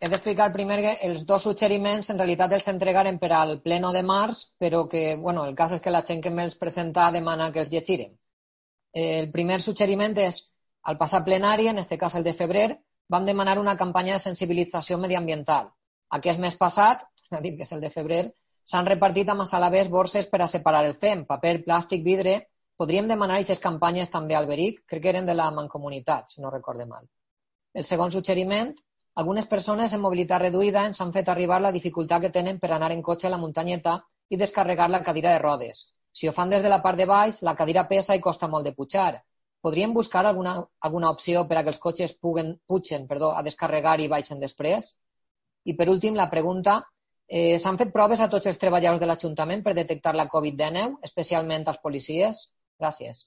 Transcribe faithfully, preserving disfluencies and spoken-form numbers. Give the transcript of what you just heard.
he d'explicar primer que els dos suggeriments en realitat els entregaren per al pleno de març, però que, bueno, el cas és que la gent que me'ls presenta demana que els llegirem. El primer suggeriment és, al passat plenari, en aquest cas el de febrer, vam demanar una campanya de sensibilització mediambiental. Aquest mes passat, ha dit que és el de febrer, s'han repartit a Massalavés borses per a separar el fem, paper, plàstic, vidre. Podríem demanar aquestes campanyes també al Beric, crec que eren de la Mancomunitat, si no recorde mal. El segon suggeriment, algunes persones en mobilitat reduïda ens han fet arribar la dificultat que tenen per anar en cotxe a la muntanyeta i descarregar la cadira de rodes. Si ho fan des de la part de baix, la cadira pesa i costa molt de pujar. Podríem buscar alguna, alguna opció per a que els cotxes puguen, pugen perdó, a descarregar i baixen després? I per últim, la pregunta, eh, s'han fet proves a tots els treballadors de l'Ajuntament per detectar la covid dinou, especialment als policies? Gràcies.